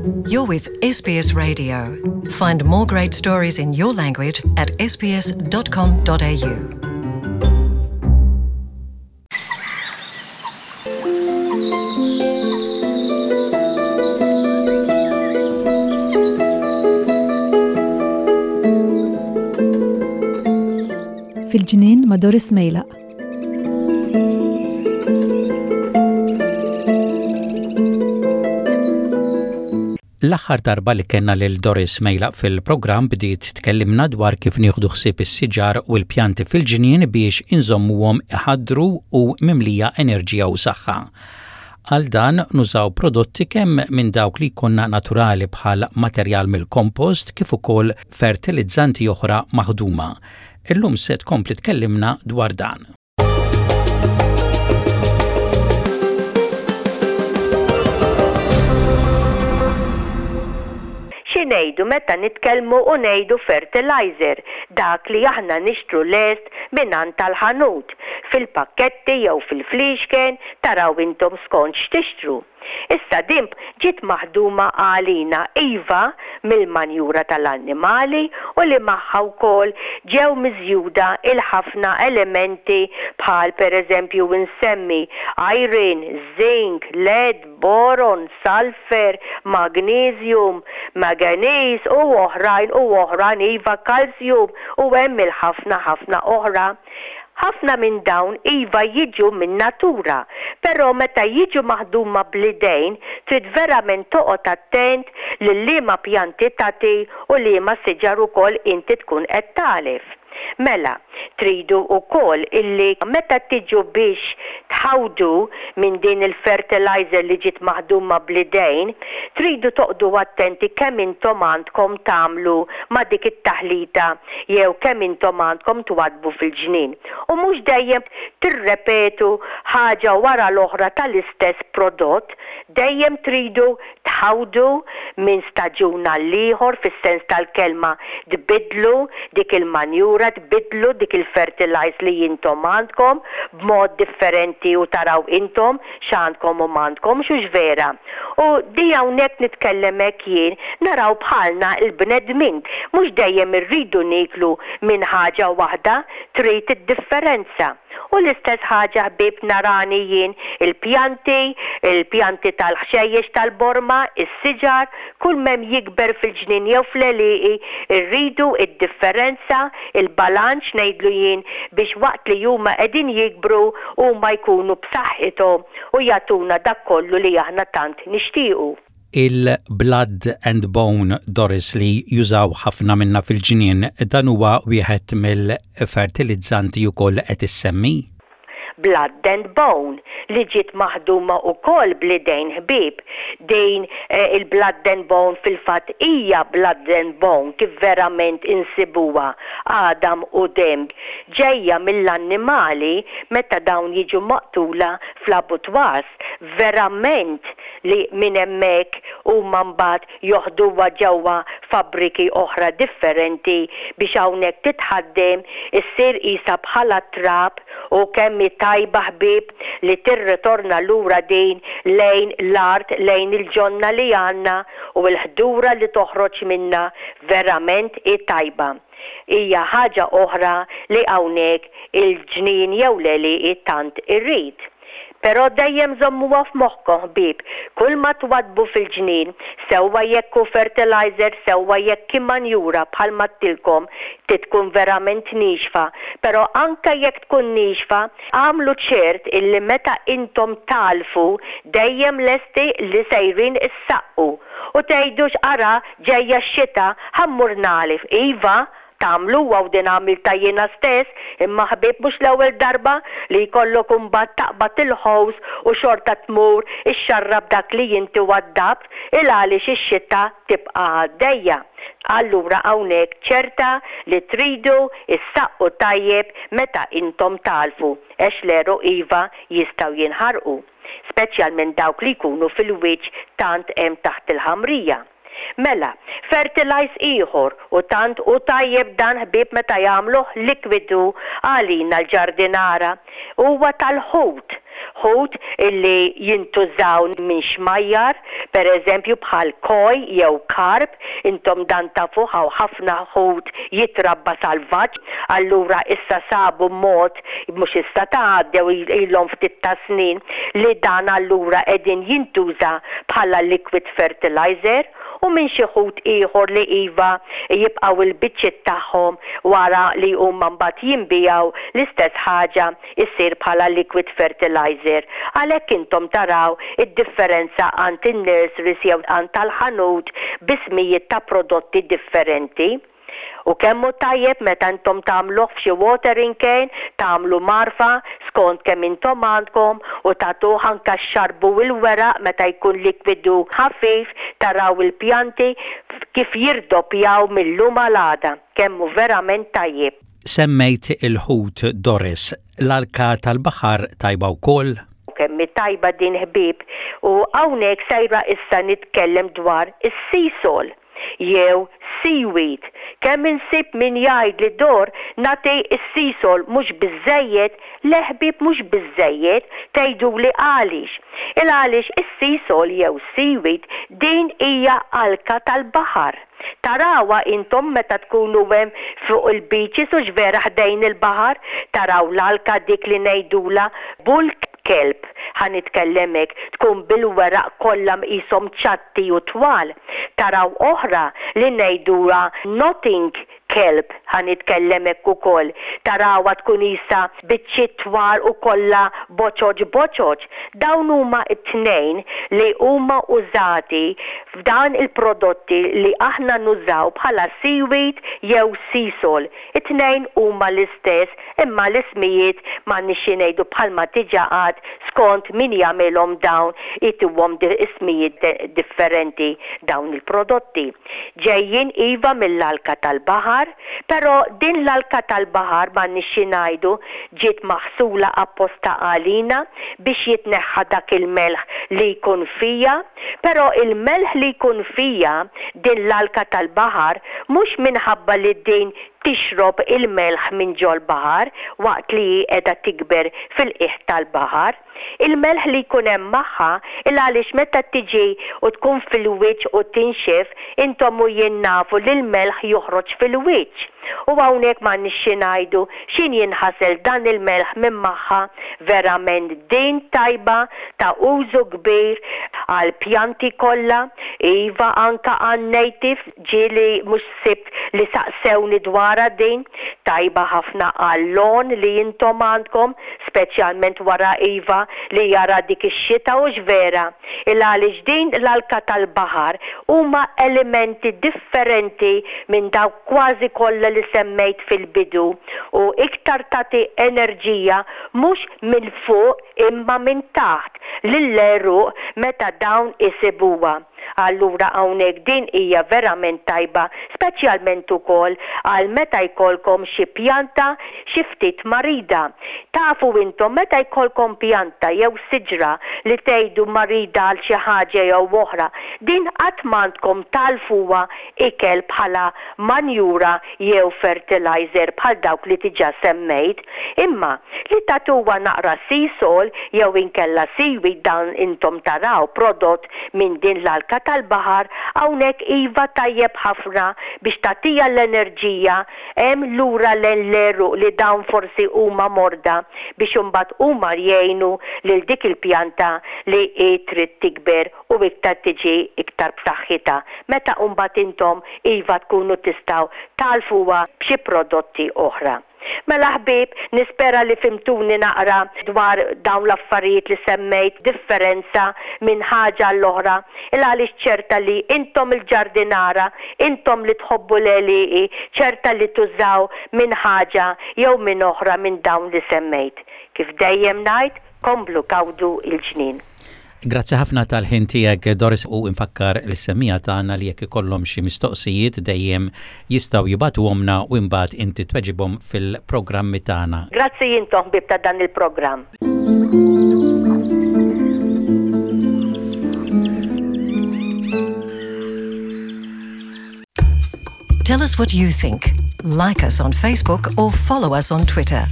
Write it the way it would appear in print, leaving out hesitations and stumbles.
You're with SBS Radio. Find more great stories in your language at sbs.com.au. Fil-ġnien ma' Doris Mejlaq. L-aħħar darba li kellna lil Doris Mejlaq fil-programm bdiet tkellimna dwar kif nieħdu ħsieb is-siġar u l-pjanti fil-ġnien biex inżommuhom iħaddru u mimlija enerġija u saħħa. Għal dan nużaw prodotti kemm minn dawk li jkollna naturali bħal materjal mill-kompost kif ukoll fertilizzanti oħra maħduma. Illum se tkompli tkellimna dwar dan. Xi ngħidu meta nitkellmu u ngħidu fertilizer, dak li aħna nixtru lest mingħand tal-ħanut, fil-pakketti jew fil-fliexken, taraw intom skont x'tixtru. Issa din ġiet maħduma għalina iva mill-manjura tal-annimali u li magħha wkoll ġew miżjuda il-ħafna elementi bħal per eżempju insemmi iron, zinc, lead, boron, sulphur, magnesium, manganese u oħrajn u oħrajn iva calcium u hemm il-ħafna ħafna oħra. Ħafna minn dawn iva jiġu min-natura, però meta jiġu maħduma bl-idejn trid verament toqgħod attent lil liema pjanti tagħti u liema siġar ukoll inti tkun qed tagħlef. Mela, tridu wkoll illi meta tiġu biex tħawdu minn din il-fertilizer li ġiet maħduma bl-idejn, tridu toqgħdu attenti kemm intom għandkom tagħmlu ma' dik it-taħlita jew kemm intom għandkom twaddbu fil-ġnien, u mhux dejjem tirrepetu ħaġa wara l-oħra tal-istess prodott, dejjem tridu tħawdu minn staġun għall-ieħor fis-sens tal-kelma tbiddlu dik il-manjura, tbiddlu dik il-fertilize li intom għandkom b'mod differenti u taraw intom x'għandkom u m'għandkomx hux vera. U di hawnhekk nitkellem hekk jien, naraw bħalna l-bnedmin. Mhux dejjem irridu nieklu minn ħaġa waħda, trid id-differenza. U l-istess ħaġa ħbieb narani jien il-pjanti, il-pjanti tal-ħxejjex tal-borma, is-siġar, kull m'hemm jikber fil-ġnien jew fl-għelieqi, irridu id-differenza, il-balanċ ngħidlu jien biex waqt li huma qegħdin jikbru huma jkunu b'saħħithom u jagħtuna dak kollu li aħna tant nixtiequ. Il-blood and bone Doris li jużaw ħafna minna fil-ġnien, dan huwa wieħed mill-fertilizzanti ukoll li qed issemmi? Blood and Bone, li ġiet maħduma wkoll bl-idejn ħbieb. Din il-Blood and Bone fil-fatt hija Blood and Bone kif verament insibuha, għadam u demm, ġejja mill-annimali meta dawn jiġu maqtula fl-abattoirs. Verament li minn hemmhekk huma mbagħad joħduha ġewwa fabbriki oħra differenti biex hawnhekk titħaddem, issir qisha bħala trab u kemm hi tajba ħbieb li tirritorna lura din lejn l-art, lejn il-ġonna li għandna u l-ħdura li toħroġ minnha verament hi tajba. Hija ħaġa oħra li hawnhekk il-ġnien jew l-għelieqi tant irrid. Però dejjem żommuha f'moħħkom ħbieb, kull ma twaddbu fil-ġnien, sewwa jekk hu fertilizer sewwa jekk hi manjura bħal m'għedtilkom, trid tkun verament niexfa, però anke jekk tkun niexfa, agħmlu ċert illi meta intom tagħlfu dejjem lesti li sejrin issaqqu u tgħidux ara ġejja x-xita ħa mmur nagħlef, iva, Tagħmluha u din għamiltha jiena stess, imma ħbieb mhux l-ewwel darba li jkollok imbagħad taqbad il-hose u xorta tmur ixxarrab dak li inti waddabt il għaliex ix-xita tibqa' għaddejja. Allura hawnhekk ċerta li tridu ssaqqu tajjeb meta intom tagħlfu għex l-għeruq iva jistgħu jinħarqu, speċjalment dawk li jkunu fil-wiċċ tant hemm taħt il-ħamrija. Mela, fertilize ieħor, u tant hu tajjeb dan ħbieb meta jagħmluh likwidu għalina l-ġardinara, huwa tal-ħut. Ħut illi jintużaw minn xmajjar, per eżempju bħal koi jew karp, intom dan tafuh hawn ħafna ħut jitrabba salvaġġ, allura issa sabu mod, mhux issa ta' għaddew ilhom ftit ta' snin, li dan allura qegħdin jintuża bħala liquid fertilizer. U minn xi ħut ieħor li iva jibqgħu l-biċċiet tagħhom wara li huma mbagħad jinbiegħu l-istess ħaġa issir bħala liquid fertilizer. Għalhekk intom taraw id-differenza għand in-nurseries jew għand tal-ħanut b'ismijiet ta' prodotti differenti. U kemm hu tajjeb meta intom tagħmluh f'xi watering cane, tagħmlu mgħarfa skont kemm intom għandkom u tagħtuh anke xxarrbu l-weraq meta jkun likwidu ħafif taraw il-pjanti kif jirdoppjaw mil-lum għal għada. Kemm hu verament tajjeb. Semmejt il-ħut Doris, l-alka tal-baħar tajba wkoll? Kemm hi tajba din ħbieb u hawnhekk sejra issa nitkellem dwar is-sea salt jew seaweed. Kemm insib min jgħidli Dor nagħti s-sea salt mhux biżżejjed, le ħbieb mhux biżżejjed, tgħiduli għaliex. Il għaliex is-sea salt jew seaweed din hija alka tal-baħar. Tarawha intom meta tkunu hemm fuq il-beaches hux vera ħdejn il-baħar, taraw l-alka dik li ngħidulha bull kelp, ħa nitkellem hekk, tkun bil-weraq kollha qishom ċatti u twal. Taraw oħra li ngħidulha knotting kelp, ħa nitkellem hekk ukoll, tarawha tkun qisha biċċiet twal u kollha boċoċ boċoċ. Dawn huma t-tnejn li huma użati f'dan il-prodotti li aħna nużaw bħala seaweed jew sea salt. It-tnejn huma l-istess imma l-ismijiet m'għandniex xi ngħidu bħalma diġà għedt skont min jagħmilhom dawn ituhom ismijiet differenti dawn il-prodotti. Ġejjin iva mill-alka tal-baħar, però din l-alka tal-baħar m'għandniex xi ngħidu ġiet maħsula apposta għalina biex jitneħħa dak il-melħ li jkun fiha, però il-melħ li jkun fiha din l-alka tal-baħar mhux minħabba li din tixrob il-melħ minn ġol-baħar waqt li hi qiegħda tikber fil-qiegħ tal-baħar. Il-melħ li jkun hemm magħha, il għaliex meta tiġi u tkun fil-wiċċ u tinxef, intom u jien nafu li l-melħ joħroġ fil-wiċċ. U hawnhekk m'għandniex xi ngħidu, x'in jinħasel dan il-melħ minn magħha, verament din tajba ta' użu kbir għall-pjanti kollha, iva anke għan-native, Ġieli mhux sibt li saqsewni dwarha din? Tajba ħafna għal-lawn li intom għandkom, speċjalment wara iva li jara dik ix-xita hux vera? Il għaliex din l-alka tal-baħar huma elementi differenti minn dawk kważi kollha li semmejt fil-bidu u iktar tagħti enerġija mhux minn fuq imma minn taħt lill-għeruq meta dawn isibuha. Allura hawnhekk din hija verament tajba speċjalment ukoll għal meta jkollkom xi pjanta xi ftit marida. Tafu intom meta jkollkom pjanta jew siġra li tgħidu marida għal xi ħaġa jew oħra, din qatt m'għandkom tagħlfuha ikel bħala manjura jew fertilizer bħal dawk li diġà semmejt, imma li tagħtuha naqra sea salt jew inkella seaweed dan intom taraw prodott minn din l-alka tal-baħar hawnhekk iva tajjeb ħafna biex tagħtiha l-enerġija hemm lura lejn l-għeruq li dawn forsi huma morda biex imbagħad huma jgħinu lil dik il-pjanta li hi trid tikber u iktar tiġi iktar b'saħħitha meta mbagħad intom iva tkunu tistgħu tagħlfuha b'xi prodotti oħra. Mela ħbieb, nispera li fhimtuni naqra dwar dawn l-affarijiet li semmejt, differenza minn ħaġa għall-oħra, il għaliex ċerta li intom il-ġardinara, intom li tħobbu l-għelieqi, ċerta li tużaw minn ħaġa jew minn oħra minn dawn li semmejt. Kif dejjem ngħid, komplu gawdu l-ġnien. Grazzi ħafna tal-ħin tiegħek Doris u nfakkar lis-semmiegħa tagħna li jekk ikollhom xi mistoqsijiet dejjem jistgħu jibagħtuhomlna u imbagħad inti tweġibhom fil-programmi tagħna. Grazzi intom ħbieb ta' dan il-programm. Tell us what you think. Like us on Facebook or follow us on Twitter.